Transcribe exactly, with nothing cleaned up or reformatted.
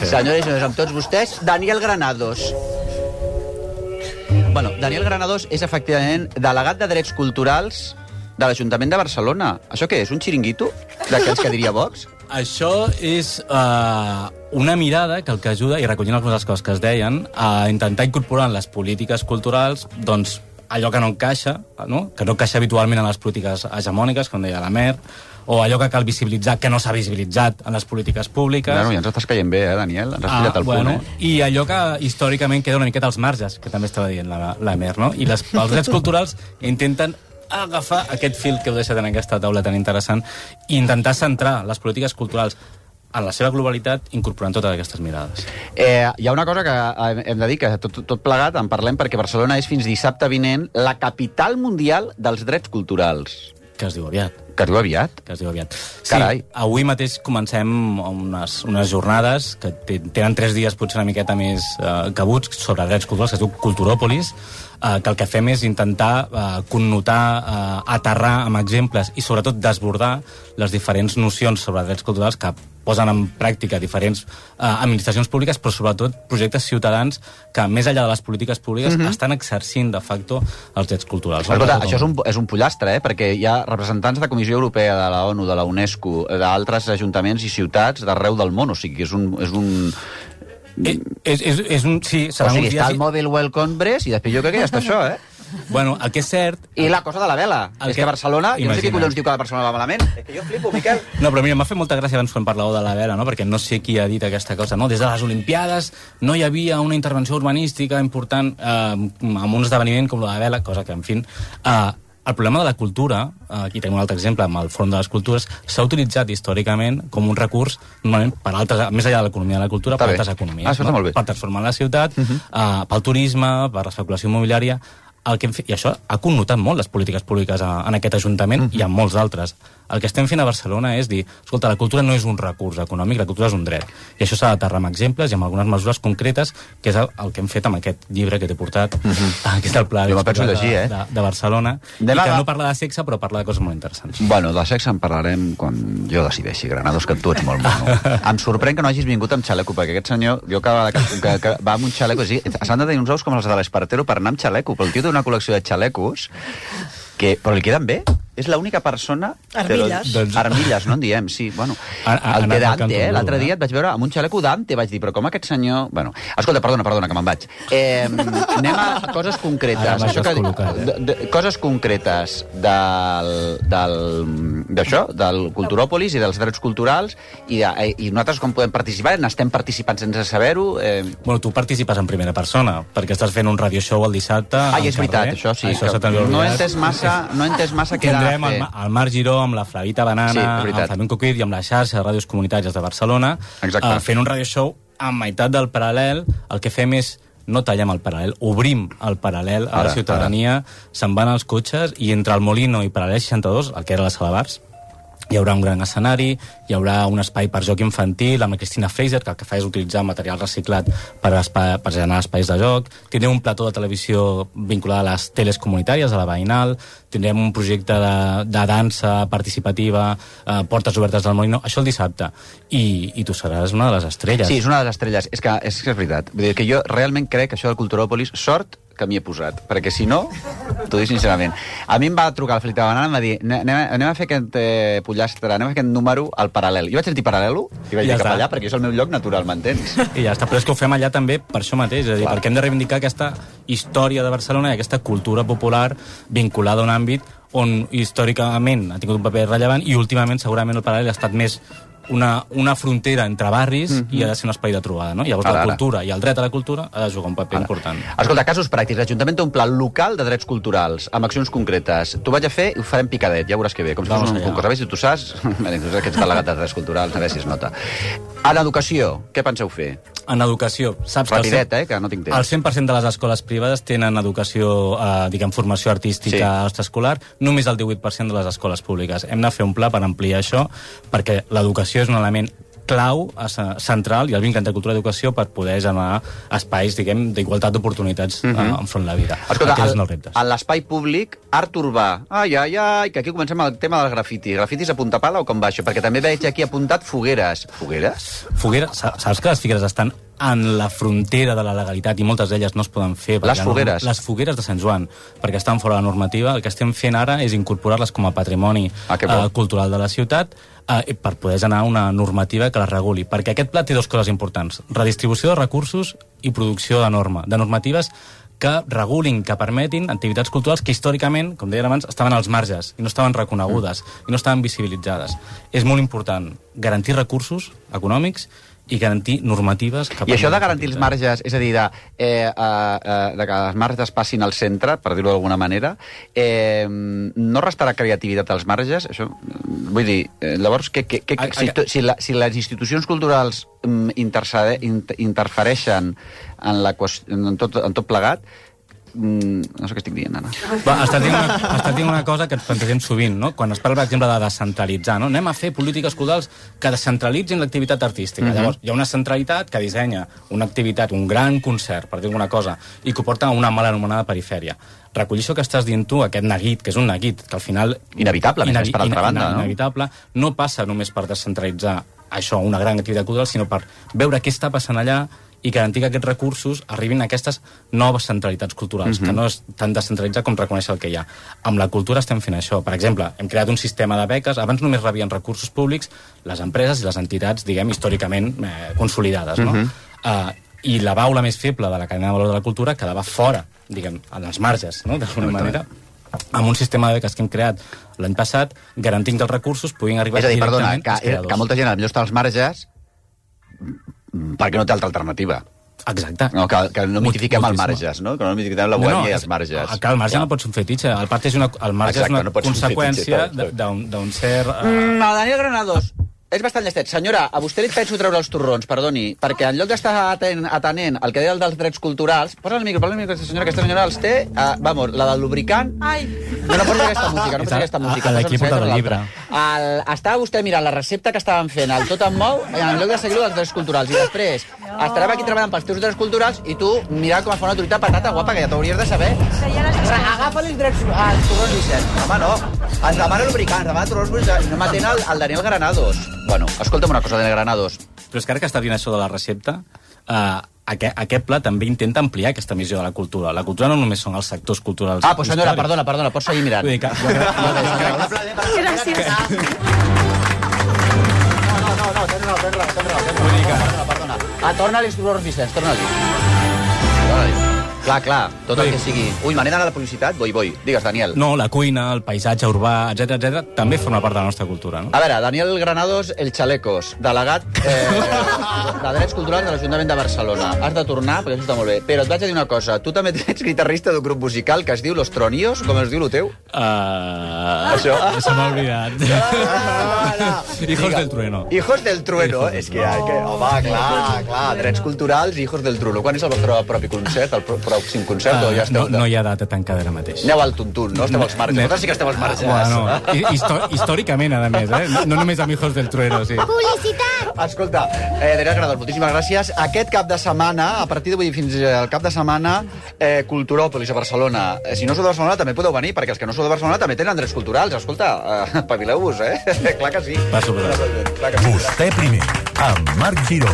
Senyores i senyors, amb tots vostès, Daniel Granados. Bueno, Daniel Granados és efectivament delegat de Drets Culturals de l'Ajuntament de Barcelona. Això què és, un xiringuito d'aquells que diria Vox? Això és uh, una mirada que el que ajuda, i recollint algunes de les coses que es deien, a intentar incorporar en les polítiques culturals doncs, allò que no encaixa, no? que no encaixa habitualment en les polítiques hegemòniques, com deia la Mer, o allò que cal visibilitzar, que no s'ha visibilitzat en les polítiques públiques. Bueno, ja ens estàs caient bé, eh, Daniel? Ens has pillat ah, el bueno, punt, eh? I allò que històricament queda una miqueta als marges, que també estava dient la, la Mer, no? I les, els drets culturals intenten agafar aquest fil que heu deixat en aquesta taula tan interessant i intentar centrar les polítiques culturals en la seva globalitat, incorporant totes aquestes mirades. Eh, hi ha una cosa que hem de dir, que tot, tot plegat en parlem, perquè Barcelona és fins dissabte vinent la capital mundial dels drets culturals. Que es diu aviat. Que es diu aviat? Que es diu aviat. Sí, Carai. Avui mateix comencem unes, unes jornades que tenen tres dies potser una miqueta més eh, cabuts sobre drets culturals, que es diu Culturòpolis, eh, que el que fem és intentar eh, connotar, eh, aterrar amb exemples i sobretot desbordar les diferents nocions sobre drets culturals que posen en pràctica diferents eh, administracions públiques, però sobretot projectes ciutadans que, més enllà de les polítiques públiques, mm-hmm. estan exercint de facto els drets culturals. Escolta, això és un, és un pollastre, eh? Perquè hi ha representants de la Comissió Europea, de la ONU, de la UNESCO, d'altres ajuntaments i ciutats d'arreu del món, o sigui, és un... És un... És, és, és un sí, o sigui, està el Mobile World Congress i després jo crec que ja està això, eh? Bueno, el que és cert... I la cosa de la vela. El és que, que Barcelona... Imagina. Jo no sé qui collons diu que Barcelona va malament. És que jo flipo, Miquel. No, però mira, m'ha fet molta gràcia abans quan parlàveu de la vela, no? Perquè no sé qui ha dit aquesta cosa, no? Des de les Olimpiades no hi havia una intervenció urbanística important eh, amb un esdeveniment com la vela, cosa que, en fi... Eh, el problema de la cultura, eh, aquí tenim un altre exemple amb el Fòrum de les Cultures, s'ha utilitzat històricament com un recurs, normalment, per altres, més enllà de l'economia de la cultura, està per bé. altres economies. Ah, no? molt bé. Per transformar la ciutat, uh-huh. eh, pel turisme, per l'especulació immobiliària... El que hem fet, i això ha connotat molt les polítiques públiques a, en aquest Ajuntament mm-hmm. i en molts d'altres. El que estem fent a Barcelona és dir, escolta, la cultura no és un recurs econòmic, la cultura és un dret. I això s'ha d'aterrar amb exemples i amb algunes mesures concretes, que és el, el que hem fet amb aquest llibre que t'he portat, mm-hmm. que és el Pla jo me penso llegir, eh? de, de Barcelona, de i que va... no parla de sexe, però parla de coses molt interessants. Bueno, de sexe en parlarem quan jo decideixi, Granados, que tu ets molt mono. Em sorprèn que no hagis vingut amb xaleco, perquè aquest senyor, jo que, que, que, que va amb un xaleco, sí, s'han de tenir uns ous com els de l'Espartero per anar amb xaleco, però el tio té una col·lecció de xalecos que, però li queden bé. És l'única persona... Armilles. Però, doncs, armilles, no en diem, sí. Bueno, el té Dante, eh? L'altre dia et vaig veure amb un xaleco Dante, vaig dir, però com aquest senyor... Bueno, escolta, perdona, perdona, que me'n vaig. Eh, anem a coses concretes. Ara Això que, col·locat, eh? de, de, coses concretes del, del, d'això, del Culturòpolis i dels drets culturals, i, de, i nosaltres com podem participar? N'estem participant sense saber-ho? Eh... Bueno, tu participes en primera persona, perquè estàs fent un radio show el dissabte... Ah, i és veritat, això sí. Això que no he entès massa, no he entès massa què era Tindrem el, el Marc Giró amb la Flavita Banana, sí, amb Flamenco Quid i amb la xarxa de ràdios comunitàries de Barcelona, uh, fent un radio show a meitat del paral·lel. El que fem és no tallem el paral·lel, obrim el paral·lel a ara, la ciutadania, se'n van els cotxes i entre el Molino i Paral·lel seixanta-dos, el que era la sala bars, hi haurà un gran escenari, hi haurà un espai per joc infantil amb la Cristina Fraser, que el que fa és utilitzar material reciclat per, espai, per generar espais de joc. Tindrem un plató de televisió vinculat a les teles comunitàries, a la veïnal, tindrem un projecte de, de dansa participativa, eh, portes obertes del Molino, això el dissabte. I, i tu seràs una de les estrelles. Sí, és una de les estrelles. És que és, que és veritat. Vull dir que jo realment crec que això del Culturòpolis, sort que m'hi he posat, perquè si no, t'ho dic sincerament. A mi em va trucar el Felipe Banana i em va dir, anem, anem a fer aquest eh, pollastre, anem a fer aquest número al paral·lel. Jo vaig sentir paral·lelo i vaig ja dir cap allà, perquè és el meu lloc natural, m'entens? I ja està, però és que ho fem allà també per això mateix, és a dir, Clar. perquè hem de reivindicar aquesta història de Barcelona i aquesta cultura popular vinculada a un àmbit on històricament ha tingut un paper rellevant i últimament segurament el paral·lel ha estat més una, una frontera entre barris mm-hmm. i ha de ser un espai de trobada, no? Llavors ara, la cultura ara. i el dret a la cultura ha de jugar un paper ara. important. Escolta, casos pràctics. L'Ajuntament té un pla local de drets culturals, amb accions concretes. T'ho vaig a fer i ho farem picadet, ja veuràs que bé. Com si fos un concurs. A veure si tu saps... tu saps que ets delegat de drets culturals, a veure si es nota. En educació, què penseu fer? En educació, saps Rapidet, que el cent, eh, que no tinc temps. El cent per cent de les escoles privades tenen educació, eh, diguem, formació artística sí. extraescolar, només el divuit per cent de les escoles públiques. Hem de fer un pla per ampliar això, perquè l'educació és un element clau, central, i el vincle entre cultura i educació per poder generar espais, diguem, d'igualtat d'oportunitats uh-huh. uh, enfront de la vida. Escolta, al, a l'espai públic, art urbà, ai, ai, ai, que aquí comencem el tema del grafiti. Grafitis a punta pala o com va això? Perquè també veig aquí apuntat fogueres. Fogueres? Fogueres, saps que les figueres estan en la frontera de la legalitat i moltes d'elles no es poden fer. Les fogueres? Les fogueres de Sant Joan, perquè estan fora de la normativa. El que estem fent ara és incorporar-les com a patrimoni ah, uh, cultural de la ciutat uh, per poder generar una normativa que les reguli. Perquè aquest pla té dues coses importants. Redistribució de recursos i producció de norma, de normatives que regulin, que permetin activitats culturals que històricament, com deien abans, estaven als marges i no estaven reconegudes mm. i no estaven visibilitzades. És molt important garantir recursos econòmics i garantir normatives... Que I això de garantir els marges, és a dir, de, eh, eh, de que les marges passin al centre, per dir-ho d'alguna manera, eh, no restarà creativitat als marges? Això, vull dir, eh, llavors, que, que, que, si, si, la, si les institucions culturals intercede, inter, interfereixen en, la, en, tot, en tot plegat, no sé què estic dient, Anna. Va, estàs dient una, estàs dient una cosa que ens plantegem sovint, no? Quan es parla, per exemple, de descentralitzar, no? Anem a fer polítiques culturals que descentralitzin l'activitat artística. Uh-huh. Llavors, hi ha una centralitat que dissenya una activitat, un gran concert, per dir alguna cosa, i que ho porta a una mal anomenada perifèria. Recollir això que estàs dient tu, aquest neguit, que és un neguit, que al final... Inevitable, inavi més per altra banda, no? Inevitable, no passa només per descentralitzar això, una gran activitat cultural, sinó per veure què està passant allà i garantir que aquests recursos arribin a aquestes noves centralitats culturals, uh-huh. que no és tan descentralitzat com reconèixer el que hi ha. Amb la cultura estem fent això. Per exemple, hem creat un sistema de beques, abans només rebien recursos públics les empreses i les entitats, diguem, històricament eh, consolidades, no? Uh-huh. uh, I la baula més feble de la cadena de valor de la cultura quedava fora, diguem, en els marges, no?, d'alguna manera, amb un sistema de beques que hem creat l'any passat, garantint que els recursos puguin arribar és a dir, directament perdona, que, que molta gent potser està als marges perquè no té altra alternativa. Exacte. No, que, que no mitifiquem els marges, no? Que no mitifiquem la bohèmia no, no, i els marges. És, el marge ja. no pot ser un fetitxe. El, part és una, el marge Exacte, és una no conseqüència d'un cert... Uh... Mm, el Daniel Granados és bastant llestet. Senyora, a vostè li penso treure els torrons, perdoni, perquè en lloc d'estar atent, atenent el que deia el dels drets culturals, posa el micro, posa el micro, aquesta senyora, aquesta senyora els té, uh, vamos, la del lubricant... Ai! No, no posa aquesta música, no posa aquesta música. A l'equip del llibre. El, estava vostè mirant la recepta que estaven fent, el tot em mou, en lloc de seguir-ho dels drets culturals. I després no. estarem aquí treballant pels teus drets culturals i tu mirant com es fa una truita patata guapa, que ja t'hauries de saber. Agafa els drets, els torrons, Vicent. Home, no. Ens demana lubricant, ens demana torrons, no m'atén el, el Daniel Granados. Bueno, escolta'm una cosa, Daniel Granados. Però és que ara que està dient això de la recepta, eh, aquest, aquest pla també intenta ampliar aquesta missió de la cultura. La cultura no només són els sectors culturals. Ah, pues senyora, perdona, perdona, pots seguir mirant. Que... Gràcies. No, no, no, no, tens raó, tens raó, tens raó, perdona, perdona. Ah, torna-li els torrons, Vicenç, torna-li. Torna-li. Clar, clar, tot el que sigui... Ui, me n'he d'anar a la publicitat? Voi, voi. Digues, Daniel. No, la cuina, el paisatge urbà, etcètera, etcètera, també forma part de la nostra cultura, no? A veure, Daniel Granados, el Chalecos, delegat eh, de Drets Culturals de l'Ajuntament de Barcelona. Has de tornar, perquè això està molt bé. Però et vaig a dir una cosa. Tu també ets guitarrista d'un grup musical que es diu Los Tronios, com es diu el teu? Uh, això? Se m'ha oblidat. No, no. Hijos Diga, del Trueno. Hijos del Trueno. Hijos és que, que, home, clar, clar, Drets Culturals i Hijos del Trueno. Quan és el vostre propi concert, el pròxim concert? Uh, ja esteu, no, no hi ha data tancada ara mateix. Aneu al tuntun, no? Esteu als marges. Vosaltres sí que esteu als marges. Bueno, histò històricament, a més, eh? No, no només amb Hijos del Trueno, sí. Publicitat! Escolta, eh, Daniel Granados, moltíssimes gràcies. Aquest cap de setmana, a partir d'avui fins al cap de setmana, eh, Culturòpolis a Barcelona. Eh, si no sou de Barcelona també podeu venir, perquè els que no sou de Barcelona també tenen drets culturals. Escolta, eh, pavileu-vos, eh? Clar que sí. Va, Clar que sí. Vostè primer, amb Marc Giró.